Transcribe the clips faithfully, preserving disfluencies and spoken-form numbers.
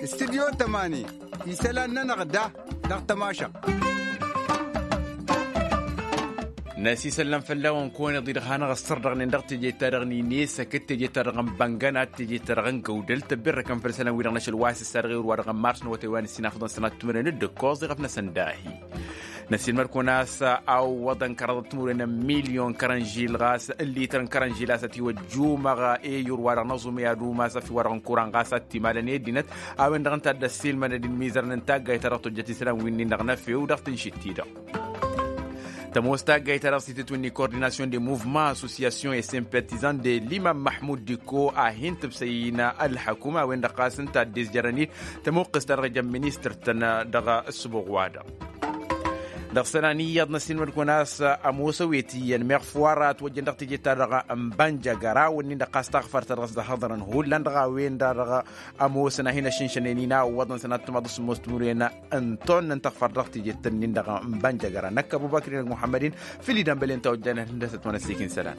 Studyo tămani isălan-nănăɣ da dăɣ-tămašăɣt. Năsisăllăm fălla-wăn kăwăn-iḍǝy dăɣ-hanăɣ-ăssărdăɣnen dăɣ-teje-ta-dăɣ n-inesăk d-teje-ta-dăɣ n-băngănat teje-ta-dăɣ n-găwdăl tăbberrăkăn făll-isălan-wi-dăɣ n-ašăl wa s-ǝssa dăɣ-ewăr wa dăɣ-n mars n-awătay wa n-ǝssin afḍăn sănat timǝrwen d-ǝkkoẓ iɣăf-năsăn dahi. Năsiilmăd-kăwăn a-s awwăḍăn kăraḍăt timǝrwen n-milyon kărănžil ɣas n-lităr n-kărănžil a-s ătiwăjjumăɣ i-ewăr wa dăɣ-năẓum i-ad-umas ăfi wa dăɣ-n kuran ɣas ad-t-imalăn i-ăddinăt. A-wen-dăɣ ǝnta a dd-ăssiilmănăd-in imizărăn n-taggayt ta dăɣ-tojjăt isălan wi-nin-dăɣ n-efew dăɣ-tǝnšit-ti-dăɣ. Tămoos taggayt ta dăɣ-s itǝtwǝnni kordinasyon de muvma assosyasyon e simpatizan de limam mahmud diko a hin-tǝbsăy-in ălḥăkum a-wen-dăɣ ɣas ǝnta a dd-izjărăn-dd tămuqqǝst ta dăɣ-ija n-ministăr-tăn dăɣ-ăssubuɣ-wa-dăɣ. Dăɣ-isălan iyyăḍ năssiilmăd-kăwăn a-s ămoos ăwet iyyăn meɣ făw ara ătwăjjăn dăɣ-teje-ta-dăɣ n-bănjăgăra wǝnnin-dăɣ ɣas taɣfărt ta dăɣ-s dăɣ-hăḍărăn hullan dăɣ-a-wen-dăɣ ămoosăn a hin-ăššǝnšănen-in a ǝwwăḍăn sănat timaḍ s-ămoos timǝrwen n-tonna n-taɣfărt dăɣ-teje-tăn-in-dăɣ n-bănjăgăra năkk ăbubăkri n-muḥămmăd-in făll-idămbălen ta ojjănen hundăsăt wa n-ăssiik n-isălan.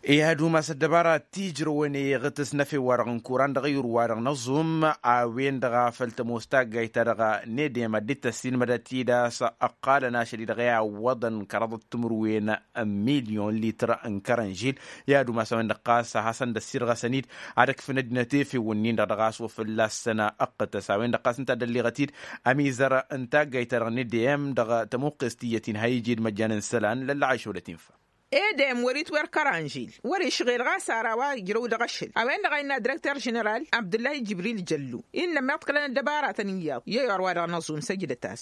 I-ad-umas ăddăbara tijrăwăn iɣtǝs n-efew wa dăɣ-n kuran dăɣ-ewăr wa dăɣ-năẓum a-wen-dăɣ a făl tămoos taggayt ta dăɣ-nedem ad-dd-tăssiilmădăt-dd a-s ăqqalăn ašăl-i-dăɣ i-awwăḍăn kăraḍăt timǝrwen n-milyon lităr n-kărănžil. I-ad-umas a-wen-dăɣ ɣas a hasăn-dd-ăssirɣăsăn-dd ad-ǝkfǝn ăddinăt efew-nin-dăɣ dăɣ-a-s wa fălla-săn ăqqǝtăs a-wen-dăɣ ɣas ǝnta a dd-ălliɣăt-dd ămizăr n-taggayt ta dăɣ-nedem dăɣ-tămuqqes tiyyăt-in ha ija d-măjjan n-isălan lăllăɣ išodăt infa. Edem wăr-itwăr kăranžil wăr-išɣel ɣas ara wa ijrăw dăɣ-ašăl a-wen-dăɣ a innă direkter ženeral abdullah jibril jăllu innă meḍkălăn ăddăbaratăn iyyăḍ i-ewăr wa dăɣ-năẓum săjdăt-as.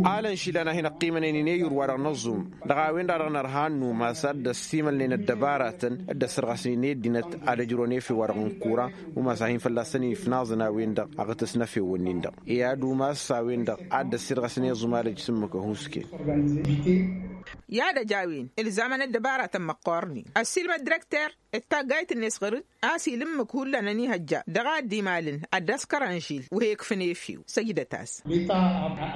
Alăn išilan a hin-ăqqimănen-in i-ewăr wa dăɣ-năẓum dăɣ-a-wen-dăɣ dăɣ-nărha n-umas ad-dd-ăssimălnen ăddăbaratăn dd-ăssărɣăsnen i-ăddinăt ad-ăjrăwăn efew wa dăɣ-n kura umas a hin-fălla-săn ifnaẓăn a-wen-dăɣ aɣtǝs n-efewăn-in-dăɣ i-ad-umas a-wen-dăɣ ad-dd-ăssirɣăsnen iẓumalăj s-ǝmmǝk ăhuusken. I-ad-ăj a-wen ǝlzamăn ăddăbaratăn măqqoornen ăssiilmăd direkter d-taggayt-net ɣăr-dd a-s ila ǝmmǝk hullan ănihăjja dăɣ-a dd-imalăn ad-dd-askăr ănžil wa he-ikfǝn efew săjdăt-as.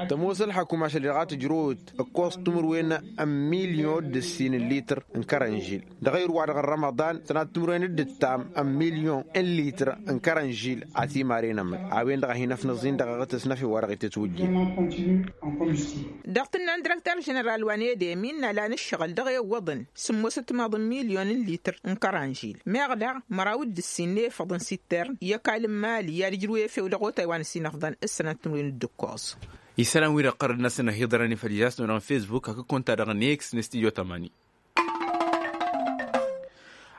Tămoos ălḥăkum ašăl-i-dăɣ a tǝjrăwăt ǝkkoẓ timǝrwen n-milyon d-ǝssin n-lităr n-kărănžil dăɣ-ewăr wa dăɣ-n rămăḍan sănat timǝrwen d-ǝttam n-milyon n-lităr n-kărănžil a timaren ămmăk a-wen-dăɣ a hin-ăfnăẓ-in dăɣ-aɣtǝs n-efew wa dăɣ-itǝtwǝjjǝn. Dăɣ-tǝnna n-direkter ženeral wa n-edem innă lan ǝššăɣǝl dăɣ-e ǝwwăḍăn sǝmmosăt timaḍ n-milyon n-lităr n-kărănžil meɣ daɣ măraw d-ǝssin n-efăḍ n-sittern i-ăkall n-mali i-ad-ǝjrǝw efew dăɣ-otay wa n-ăsinăfḍăn s-sănat timǝrwen d-ǝkkoẓ. Isălan-wi-dăɣ ɣărăd-năsăn ăhiḍărăn ifăl ija s-năwănăɣ n-fesbuk hakd kunta-dăɣ n-x n-studyo tămani.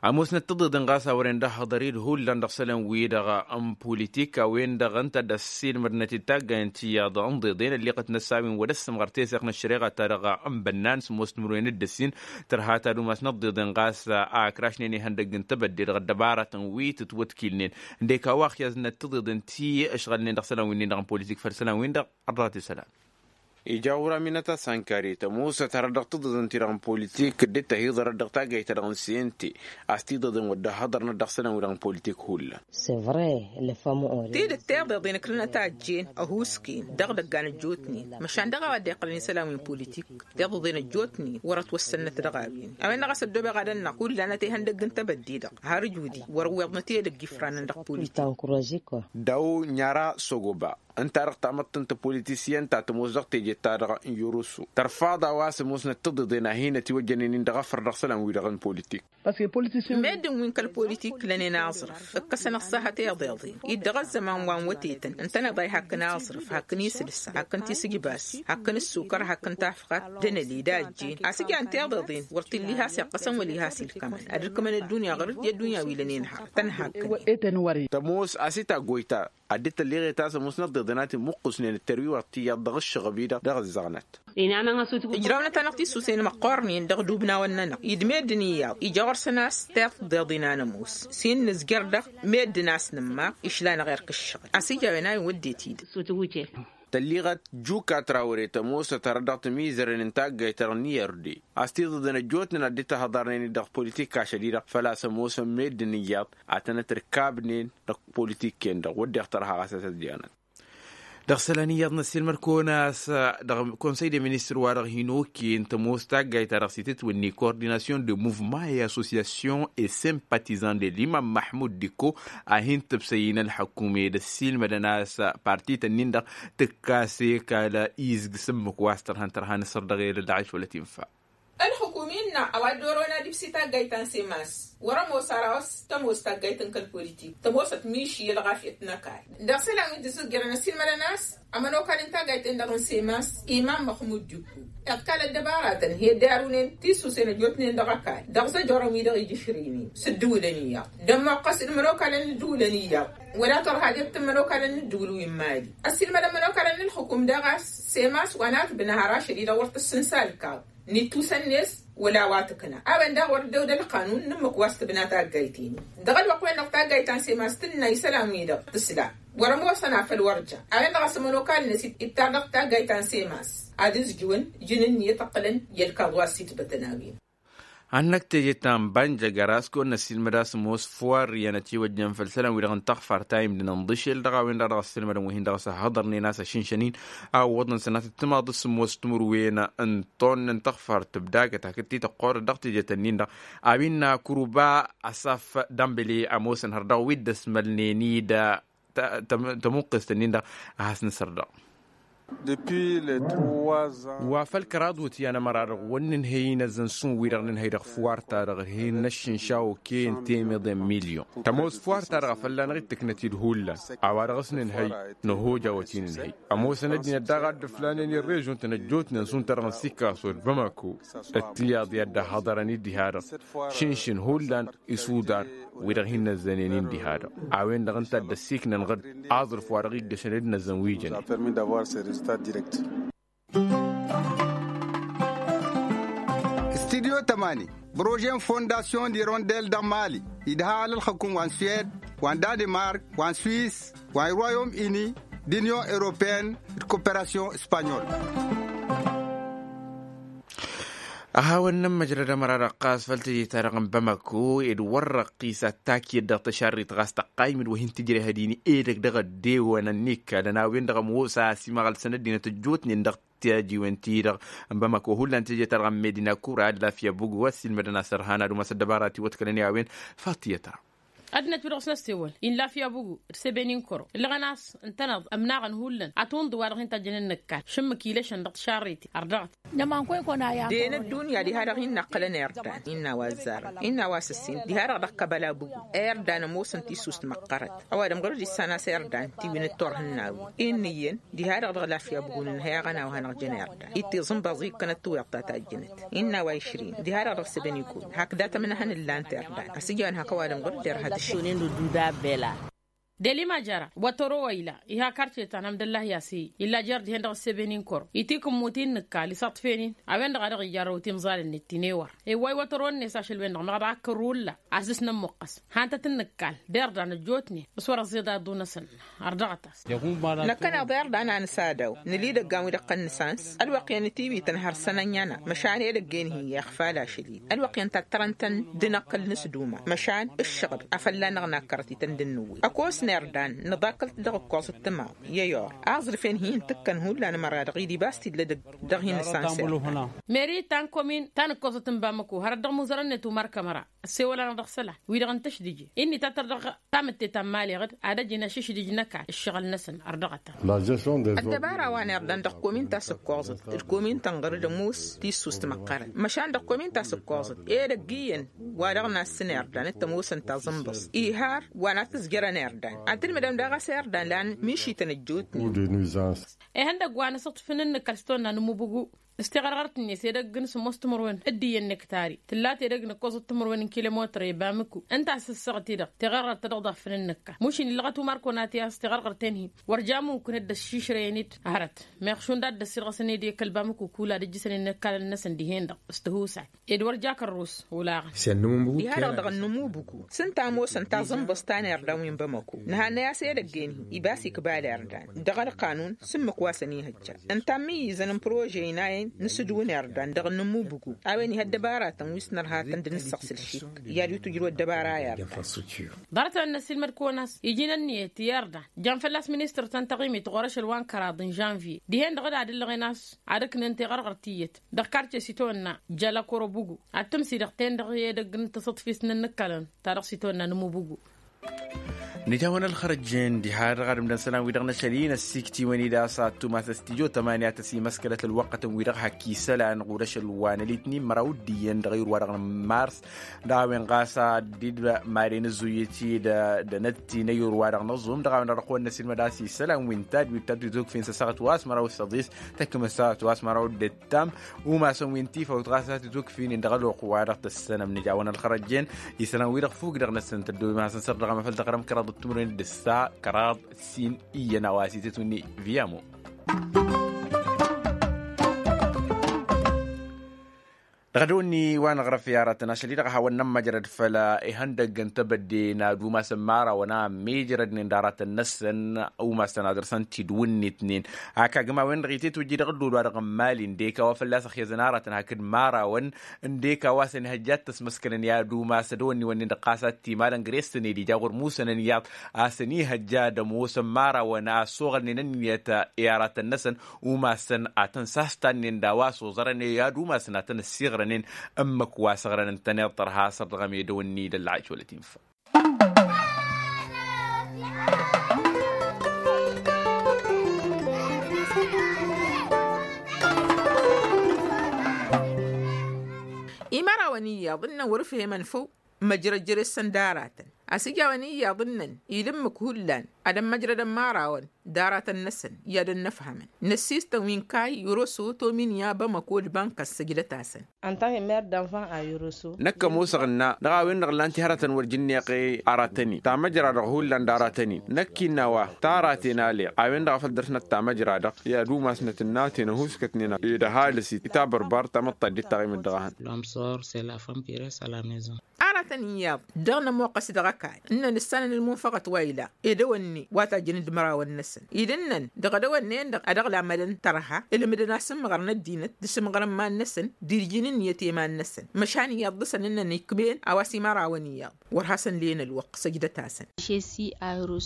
Ămoosnăt tiḍeḍen ɣas a wăren dăɣ-hăḍăr-dd hullan dăɣ-isălan-wi-dăɣ n-pulitik a-wen-dăɣ ǝnta a dd-ăssiilmădnăt-dd taggay n-tiyyăḍ n-iḍeḍen ălleɣăt n-ăssawin wăr dd-ăssămɣăr teseɣt n-ăššăreɣa-ta-dăɣ n-bănnan s-ămoos timǝrwen d-ǝssin tărha ta d-umas n-iḍeḍen ɣas a ǝkrašnen ihăndăgg n-tebădde dăɣ-ăddăbaratăn wi tǝtwătkilnen ǝndek a-wa ăxyaznăt tiḍeḍen ti ǝšɣălnen dăɣ-isălan-winnin-dăɣ n-pulitik făll-isălan-win-dăɣ. Ărḍăɣăt isălan. Ija ura minăt-asănkari tămoosăt hărăt dăɣ-tiḍeḍen-ti-dăɣ n-politik dd-tăhiḍărăt dăɣ-taggayt-ta-dăɣ n-sente a-s tiḍeḍen wăr dd-ăhhăḍărnăt dăɣ-isălan-wi-dăɣ n-politik hullan. Tidǝt tiḍeḍen ǝkrǝnăt a ăjjeen ăhuusken dăɣ-idăggan ăjjootnen măšan dăɣ-a-wa dd-iqqălăn isălan wi n-politik. Tiḍeḍen ăjjootnen wăr-ătwăssănnăt dăɣ-a-wen a-wen-dăɣ a-s ăddoobeɣ ad-ănnaɣ hullan ad-t-ihăndăgg n-tebădde-dăɣ har ǝjudi wăr-ǝwweḍnăt i-edăgg ifranăn dăɣ-politik. Daw n-ara sogoba ǝnta-dăɣ tamăḍt n-tapolitisyen ta tămoos dăɣ-teje-ta-dăɣ n-yurusu tărfaḍ a-wa s-ămoosnăt tiḍeḍen a hin-ătiwăjjănen-in dăɣ-efăr dăɣ-isălan-wi-dăɣ n-politik. Meddǝn wi n-kăl-politik lănen aẓrǝf ǝkkăsăn ăṣṣaha tiḍeḍen-i-dd dăɣ-ăzzăman wa n-wătetăn ǝntăneḍ a ihakk n-aẓrǝf hakk n-isǝlsa hakk n-tisǝjbas hakk n-ǝssukăr hakk n-tafɣat d-anăli d-ajjen a-s ǝjan tiḍeḍen wăr t-illa ihas iqqăsăn wăla ihas ilkămăn ad-ǝlkǝmăn ăddunya ɣur-dd i-ăddunya wi lănen hărăt tăn-hakkăn. Tămoos a-s itaggoyta ad-dd-tălleɣet a-s ămoosnăt tiḍeḍen a t-imuqqǝsnen ăttărwiwăɣ tiyyăḍ dăɣ-ǝššăɣăb-i-dăɣ dăɣ-ǝzzaɣnăt. Ǝjrawăn-ătănăɣ tisusen măqqoornen dăɣ-idubnawăn-nănăɣ i-dd meddǝn iyyăḍ ija ɣur-săn a-s tiḍeḍen a nămoos s-hin-nǝzjăr dăɣ-meddǝn a-s nǝmmaɣ išla-năɣ erk ǝššăɣǝl a-s ija a-wen a iwăddet-i-dăɣ. Tălliɣăt juka trawăre tămoosăt hărăt dăɣ-timizăren n-taggayt-ta-dăɣ n-i-ărde a-s tiḍeḍen ăjjootnen ad-dd-tahăḍarnen-dd dăɣ-politik ašăl-i-dăɣ făl-a-s ămoosăn meddǝn iyyăḍ ad-tănăt ărkabnen dăɣ-politik-en-dăɣ wădden tărha ɣas a-s ăzziɣnăt. Dăɣ-isălan iyyăḍ n-ăssiilmăr-kăwăn-as dăɣ-konsăy de ministăr wa-dăɣ hin-okăyăn tămoos taggayt-ta-dăɣ s-itǝtwǝnni coordinasyon de muvement et associasyon et simpatizan de limam măḥmud diko a hin-tǝbsăy n-ălḥăkkum ed ăssiilmădăn a-s parti-tăn-in-dăɣ tǝkkas ekal izg s-ǝmmǝk wa s-tărhăn tărha n-asăr dăɣ-elăl daɣ-iš wăla tinfa. Ălxǝkum innă a-wa dd-oron ad-ibsi taggayt ta n-semas wăr-ămoos ara a-wa s-tămoos taggayt n-kăl-politik tămoosăt miši i-ălɣafyăt n-ăkall. Dăɣ-isălan wi dd-isǝzjărăn ăssiilmădăn a-s ămănokal n-taggayt-en-dăɣ n-semas imam măxmud dikku iḍkal ăddăbaratăn hi-ăddarunen tisusen ăjjootnen dăɣ-ăkall dăɣ-zăjorăn wi-dăɣ ija išrǝynen s-ǝddǝwǝlăn iyyăḍ d-ămmoqqăs d-imănokalăn n-ǝddǝwǝlăn iyyăḍ wăla torhadiyăt n-imănokalăn n-ǝddǝwǝl wi n-mali. Ăssiilmădăn imănokalăn n-ǝlxǝkum daɣ a-s semas wa n-atbǝnna har ašăl-i-dăɣ wăr tǝssǝnsa ălkaḍ n-ittusăn-net wăla a-wa tǝkna a-wen daɣ wăr dd-ewd ălqanun n-ǝmmǝk wa s-tǝbna taggayt-in-dăɣ dăɣ-ălwăqq-wen-dăɣ taggayt ta n-semas tǝnna isălan-wi-dăɣ tǝsla wăr-ămoosăn afăl wăr ja a-wen-dăɣ a-s ămănokal-net ittar dăɣ-taggayt ta n-semas ad-ǝzjǝwăn jǝn ǝnniyăt ǝqqǝlăn i-ălkaḍ wa s-itbătăn a-wen. Ad-năkk teje ta n-banja găras kăwăn-năssiilmăd a-s ămoos fuwar iyyăn ătiwăjjăn făll-isălan-wi-dăɣ n-taɣfart a imdǝnăn ḍǝšel dăɣ-a-wen-dăɣ dăɣ-ăssiilmădăn wi hin-dăɣ a-s ăhhăḍărnen a-s ăšǝnšăn-in a ǝwwăḍăn sănatăt timaḍ s-sǝmmos timǝrwen n-tonn n-taɣfart tǝbdagăt hakd tităqqorăt dăɣ-teje-tăn-in-dăɣ a-wen n-akǝruba asaf dambele ămoosăn har dăɣ-wi dd-ăsmălnen-dd tămuqqest-nin-dăɣ a has-nǝsăr dăɣ-wa făl kăraḍ wăt i-anămăra-dăɣ wăr nǝnhăy inăzzăn šund wi-dăɣ nǝnhăy dăɣ-fuwar-ta-dăɣ hin-năššǝnša okăyăn temeḍe n-milyon tămoos fuwar-ta-dăɣ a fălla-năɣ-dd-tǝknăt-dd hullan a-wa dăɣ-s nǝnhăy năhoj a wăt-i nǝnhăy. Ămoosăn ăddinăt daɣ a dd-ǝflanen i-režon-tăn ăjjootnen šund-ta-dăɣ n-sikaso d-bamako d-tiyaḍ i-ad-dd-ăhhăḍărăn-dd diha-dăɣ šǝnšǝn hullan isuḍan wi-dăɣ hin-năzzănen-in diha-dăɣ a-wen-dăɣ ǝnta a dd-ăssiiknănăɣ-dd aẓrǝf wa dăɣ-iggăšăn d-năzzăn wi jănen. Studyo tămani prože n-fondasyon d-irondel dăɣ-mali idha alălxăkum wa n-suwed wa n-danimark wa n-swis wa n-royom ini d-inyon europeyăn d-koperasyon s-panyol. A hawăn-nămmăjrăd ămăra-dăɣ ɣas făll-teje-ta-dăɣ n-bamako ed wăr-răqqis ad-takyăt dăɣ-tăšarrit ɣas tăqqaymǝd wa hin-tǝjrehăd-in edăgg dăɣ-ăddewăn ănnikkalăn a-wen-dăɣ ămoos a ăsimăɣălsăn ăddinăt ăjjootnen dăɣ-tijiwen-ti-dăɣ n-bamako hullan teje-ta-dăɣ n-medina kura d-lafya bugu ăssiilmădăn a-s ărhan ad-umas ăddăbara ti wătkălăn i-a-wen. Fattiyăt ra. Ăddinăt wi-dăɣ s-năssewăl-in lafya bugu d-sebeni n-kăro ǝllăɣăn a-s ǝntăneḍ ămnaɣăn hullan ad-tunḍǝw wa dăɣ-hin-tajjăn ǝnnǝkkal šǝmmǝk ilăšăn dăɣ-tišarriti ărdăɣăt. Den ăddunya diha-dăɣ hin-năqqǝlăn irdan innă a-wa ăzzarăn innă a-wa s-ǝssin diha-dăɣ dăɣ-kăbăla bugu irdan ămoosăn tissust măqqărăt. Ăwadǝm ɣur-dd issan a-s irdan tiwǝnǝt turhǝnnawi inn'-iyyăn diha-dăɣ dăɣ-lafya bugu nǝnhăy aɣănaw a hanăɣ-jăn irdan. Itiẓǝnbăẓ ikkănăt tiwǝḍt ta tajjǝnăt innă a-wa išrin diha-dăɣ dăɣ-săbăn ikun hakd a tămnăhăn ǝllan-t irdan ăsijăn hak ăwadǝm ɣur-dd irhăt ǝššăɣǝl. Delima jara wătăro wa ila iha karce ta n-amdăllah i-asăyy illa jer-dihen dăɣ-ăsseben-in kăro itikǝmmut-in nǝkkal isăṭṭfen-in. A-wen-dăɣ a dăɣ-ijarrăw timẓal-net ti n-ewăr iwway wătăro-net ašăl-wen-dăɣ meɣ d-akkărru ǝlla. Asǝs n-ămmuqqăs han-tăt-nǝkkal d-irdan ăjjootnen s-wăr-ăẓẓiḍ ad-dd-unăsăn. Ărdăɣăt-as. Năkkăneḍ irdan a nǝsadaw nǝla idăggan wi dăɣ-tăn-nǝsans ălwăqq i-anǝtiwităn har săn ănyăna măšan edăgg-en-hi iɣfal ašăl-i ălwăqq i-ăntattărăn-tăn d-inăqqǝl n-asduma măšan ǝššăɣǝl a fălla-năɣ nakkărăt-ităn d-inǝwwǝy ăkos n-irdan nǝḍakkăl-t dăɣ-ǝkkoẓăt timaḍ i-ăyor. Aẓrǝf-en-hi n-tǝkkăn hullan ămăra-dăɣ idibas-t illa edăgg dăɣ-hin-nǝsansăɣ. Meri ta n-komin ta n-ǝkkoẓăt n-bamăko hărăt dăɣ-imuzărăn-net umar kămăra ăssewăl-anăɣ dăɣ-isălan wi-dăɣ n-tăšdǝje ǝnni ta tăr dăɣ-tamǝtte ta n-imali ɣǝd ad-ăjǝn ašǝšdǝj n-ăkall ǝššăɣǝl-năsăn. Ărdăɣăt-a. Ăddăbara wa n-irdan dăɣ-komin ta s-ǝkkoẓăt d-komin tănɣăr d-ămoos tissust măqqărăn măšan dăɣ-komin ta s-ǝkkoẓăt edăgg iyyăn wa dăɣ-nassăn irdan d-tămoosăn taẓǝnbăẓt ihar wa n-ad-tǝzjărăn irdan ad-tǝlmǝdăm daɣ a-s irdan lan mišităn ăjjootnen. Ihăndăgg wa n-asǝṭṭǝf n-inǝkăl s-tonna n-ămmubugu s-tiɣărɣărt-net edăgg n-sǝmmos timǝrwen d-iyyăn n-ektari tǝlla tedăgg n-ǝkkoẓăt timǝrwen n-kilomătăr i-bamǝku ǝnta a-s ǝssăɣăt-i-dăɣ tiɣărɣărt ta dăɣ-ḍaffăn ǝnnǝkka mušin illăɣăt umar konati a-s tiɣărɣărt-en-hi. Wăr ja mumkǝn dd-ăššišrăyăn-dd hărăt meɣ šund a dd-ăssirɣăsăn-dd i-kăl-bamǝku kul ad-ǝjjǝsăn innăkkalăn-năsăn dihen-dăɣ s-tihusay. Ed wăr ja kărrus olaɣăn. Diha-dăɣ dăɣ-nǝmubuku s-ǝnta a ămoosăn taẓǝnbăẓt ta n-irdan wi n-bamăko nǝhannăy a-s edăgg-en-hi ibas ikbal irdan dăɣ-ălqanun s-ǝmmǝk wa săn-ihăjja. Ǝnta ămmiyyǝzăn n-prože-in a. N-sǝdǝwǝn irdan dăɣ-nǝmmubǝgu a-wen ih' ăddăbaratăn wi s-nărhatăn d-nǝssăɣsǝl šik i-ad-wi-tǝjrǝw ăddăbara irdan. Ḍarăt-nănn ăssiilmăd-kăwăn a-s iji n-ǝnniyăt i-irdan jan fălla-s ministăr-tăn taɣimit ɣur-ašăl wa n-kăraḍ n-žănvye dihen-dăɣ d-ad-ǝllăɣen a-s ad-ǝknen teɣărɣărt tiyyăt dăɣ-karce s-itawănna jăla korobugu ad-tǝmsidăɣ-ten-dăɣ i-edăgg n-tǝsǝḍfist n-ǝnnǝkkălăn ta dăɣ-s itawănna n-ǝmmubugu. Nǝjawăn ălxărăjjen diha-dăɣ ad-ǝmdăn isălan-wi-dăɣ n-ašăl-i n-ăssiiktiwăn-dd a-s ad-tumas stujo tămani a tăsimăskălăt ălwăqqătăn-wi-dăɣ hak isălan ɣur-ašăl wa n-ălitnin măraw d-iyyăn dăɣ-ayǝr-wa-dăɣ n-mars. Dăɣ-a-wen ɣas ad-dd-maren ăzzuyyăt-dd d-anătti n-ayǝr-wa-dăɣ n-aẓum dăɣ-a-wen dăɣ-dăɣ-kăwăn-năsilmăd a-s isălan wi n-tadwit ta tǝzukfin s-ăssaɣăt wa s-măraw s-ăḍis tăkmăs s-ăssaɣăt wa s-măraw d-ǝttam. Umasăn wi n-tifawt ɣas a tǝzukfinen dăɣ-ălwăqq-wa-dăɣ tăssănăm nǝjawăn ălxărăjjen isălan-wi-dăɣ fuk dăɣ-năsăn tăddoy masăn săr dăɣ-amăfăl dăɣ-răm kăraḍ d-timǝrwen d-ǝssa kăraḍ sin iyyăn a-wa s-itǝtwǝnni. Viyamo dăɣ-dăwănni wa nǝɣrăf i-aratăn ašăl-i-dăɣ a hawăn-nămmăjrăd făll-ihăndăgg n-tebădde n-ad-umasăn imărawăn a ămmiijrădnen d-aratăn-năsăn. Umasăn ad-dăr-săn tidǝw-net-nen hak agǝm a-wen-dăɣ itetwǝjji dăɣ-ădduul-wa-dăɣ n-imali ǝndek a-wa fălla-s ăxyăzăn aratăn hakd imărawăn ǝndek a-wa s-ănihăjja ad-t-ăsmăskălăn i-ad-umas ad-ăwănniwănnen dăɣ-ɣas ad-t-imalăn gres-tăn ed ija ɣur-musănăn iyyăḍ a-s ănihăjja ad-ămoosăn imărawăn a ăssoɣălnen ǝnniyăt i-aratăn-năsăn. Umasăn ad-tăn-sastannen d-a-wa s-oẓărăn i-ad-umasăn ad-tăn-ăssiɣrănen ǝmmǝk wa s-ăɣrăn ǝntăneḍ tărha săr dăɣ-emedăw-ni d-ălɣayt wăla tinfa. Imărawăn iyyăḍ ǝnnăn wăr-ǝfhemăn făw. Măjrăd jere-săn d-aratăn a-s ija a-wen iyyăḍ ǝnnăn ila ǝmmǝk hullan ad-ămmăjrădăn imărawăn d-aratăn-năsăn i-ad-ănnăfhămăn. Năssiistăn wi n-kayy oroso tomin i-abămăko d-bănkăs săjdăt-asăn. Năkk ămoosăɣ ǝnna dăɣ-a-wen-dăɣ ǝllan-t i-hărătăn wăr jǝnneɣ i-aratăn-in tamăjra-dăɣ hullan d-aratăn-in năkk innă a-wa taraten aleɣ a-wen-dăɣ a făl dăr-snăt tamăjra-dăɣ i-ad-umasnăt ǝnnaten ăhuuskătnen ed ăhalǝs-it i-tabărbart tamăḍt ta dd-taɣimăt dăɣ-ehăn. Aratăn iyyăḍ dăɣ-nămoqqăs dăɣ-ăkall ǝnnăn ǝssanăn ălmunfăɣăt wa ila ed ăwănne wa tajjăn d-imărawăn-năsăn ila ǝnnăn dăɣ-edăwănnen-dăɣ ad-ăɣlamădăn tărha ǝlmǝdăn-as ǝmmăɣăr n-ăddinăt d-asǝmɣăr n-iman-năsăn d-irjǝn ǝnniyăt i-iman-năsăn. Măšan iyyăḍ dăɣ-săn ǝnnăn ikmen a-wa s-imărawăn iyyăḍ wăr hasăn-len ălwăqq săjdăt-asăn.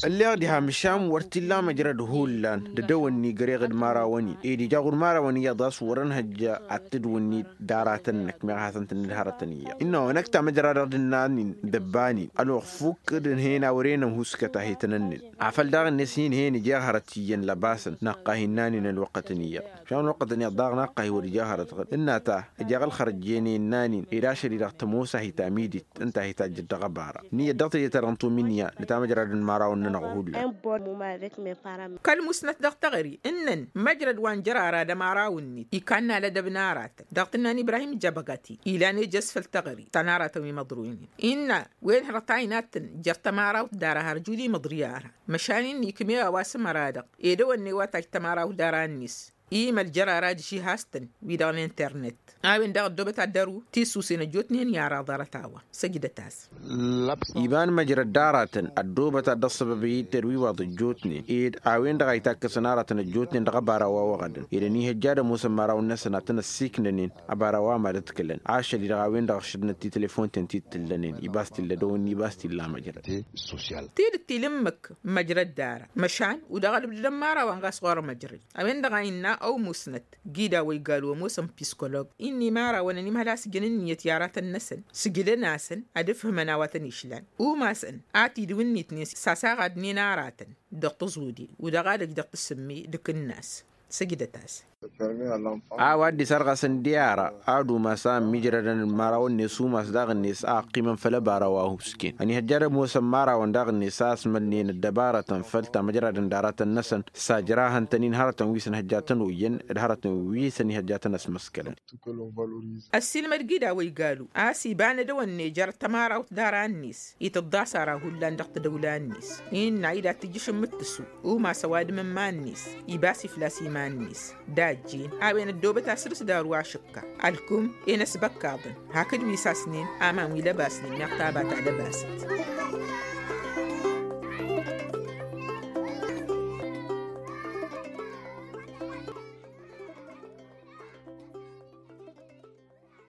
Ǝlleɣ diha măšan wăr t-illa măjrăd hullan d-edăwănni găreɣ d-imărawăn-in ed ija ɣur-imărawăn iyyăḍ a-s wăr-ănhăjja ad-tǝdwǝnnit d-aratăn-năk meɣ hasăn-tǝnnǝd hărătăn iyyăḍ ǝnna wa năkk tamăjra-dăɣ d-ǝnnan-in dăbba-nin ălwăqq fukk d-ǝnhăyăn a wăren ănhuskăt a hi-tăn-ǝnnǝn afăl daɣ-net hin-hen ija hărăt iyyăn lăbasăn năqqa hi-ǝnnan-in ălwăqqătăn iyyăḍ. Măšan ălwăqqătăn iyyăḍ daɣ năqqa hi-wăr ija hărăt ɣǝd ǝnna ta ǝjeɣ ălxărăjjen i-ǝnnan-in ed ašăl-i-dăɣ tămoos a hi-tamidit ǝnta a hi-tajjăt dăɣ-ăbara. Ǝnniyăt dăɣ-teje-ta-dăɣ n-tominya d-tamăjra d-imărawăn-nănăɣ hullan. Kăl-musnăt dăɣ-teɣări ǝnnăn măjrăd wa n-jărara d-ămăraw-net ikanna lădăb n-aratăn dăɣ-tǝnna n-ibrahim jăbăgati ilan ejăs făll-teɣări ta n-aratăn wi măḍroynen innă wen hărăt a inattăn jer-tămarawt d-ara har juli măḍri ara. Măšan-in ikme a-wa s-ămăra-dăɣ ed ăwănne wa tajj tămarawt d-ara-net. Imăl jărara d-išihastăn wi-dăɣ n-internet a-wen-dăɣ ăddoobăt ad-dăru tisusen ăjjootnen i-ara ḍarăt a-wa săjdăt-as. Iba n-măjrăd d-aratăn ăddoobăt ad-dd-ăṣṣăbăb i-tărwiwaḍ ăjjootnen ed a-wen-dăɣ a itakkăsăn aratăn ăjjootnen dăɣ-ăbara wa wăɣădăn ed ănihăjja ad-ămoosăn imărawăn-năsăn ad-tăn-ăssiiknănen. Ăbara wa mad-ăḍkǝlăn ašăl-i-dăɣ a-wen-dăɣ ăššădnăt ti-telefon-ten ti-tǝllănen ibas t-illa dăw-ǝnni ibas t-illa măjrăd. Tidǝt tilǝmmǝk măjrăd d-ara măšan udăɣ ălbdăd n-imărawăn ɣas ɣur-măjrăd a-wen-dăɣ a innă ăwmusnăt gida wa igalu ămoosăn piskolob. Innă imărawăn ănimhăl a-s jăn ǝnniyăt i-aratăn-năsăn sǝjdăn-asăn ad-ǝfhǝmăn a-wa tăn-išlan umasăn a tidǝw-net-net s-asaɣadnen aratăn dăɣ-tăẓude udăɣ ad-ăj dăɣ-tǝssǝmme d-akǝnnas. Săjdăt-as. A-wa dd-isărɣasăn d-i-ara ad-umas a ămmiijrădăn d-imărawăn-net umas daɣ-net a ăqqimăn făll-ăbara wa husken ănihăjja ad-ămoosăn imărawăn daɣ-net a ăsmălnen ăddăbarătăn făll-tamăjradăn d-aratăn-năsăn. S-ajrahăn-tăn-in hărătăn wi s-ănhăjja ad-tăn-oyyăn d-hărătăn wi s-ănihăjja ad-tăn-ăsmăskălăn. Ăssiilmăd gida wa igalu a-s iba n-edăwănne jer-tămarawt d-ara-net itǝḍḍas ara hullan dăɣ-tadăwla-net innă a idat tǝjjǝš n-imǝttǝsu umas ăwadǝm n-iman-net ibas iflas iman-net. Dajjin a-wen ăddoobăt asǝrǝs d-aru ašǝkka ălkum-en ăsbăkkaḍăn hakd wi sasnen aman wi lăbasnen meɣ taba ta lăbasăt.